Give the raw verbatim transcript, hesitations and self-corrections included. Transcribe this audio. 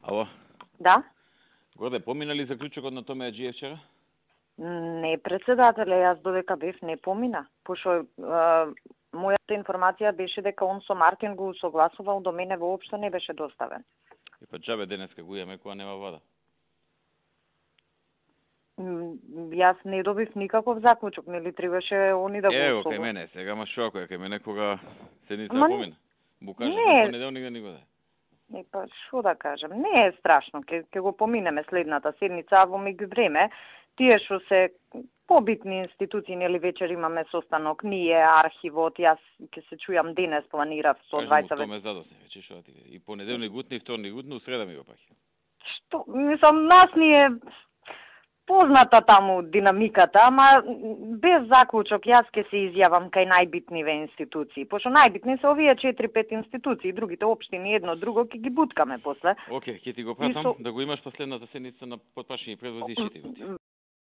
Ало, Да? Горде, помина ли заклучокот на Томе Аџиев вчера? Не, председателе, јас додека бев не помина, пошто е, мојата информација беше дека он со Мартин го согласувал, до мене воопшто не беше доставен. И па џабе денеска го имаме кога нема вода. М, Јас не добив никаков заклучок, нели требаше они да го Ево, согласуват. кај мене, сега ма шо ако е кај мене кога седница Ама помина. Бу кажа, не. на понеделник да ни го даде. Не, па шо да кажам, не е страшно, ќе ќе го поминеме следната седница, а во меѓувреме тие што се побитни институции, нели вечер имаме состанок, ние, архивот, јас ќе се чујам денес, планирав со Кажи му, двајца Томе задосне, вече шо да ти кажа. И понеделник утни, и вторник утни, у среда ми го паќа. Што, мислам, нас ни е позната таму динамиката, ама без заклучок јас ќе се изјавам кај најбитниве институции, пошто најбитни се овие четири-пет институции, другите општини едно друго ќе ги буткаме после. Оке, ќе ти го пратам со... да го имаш последната седница на потпашни превози и чити го ти.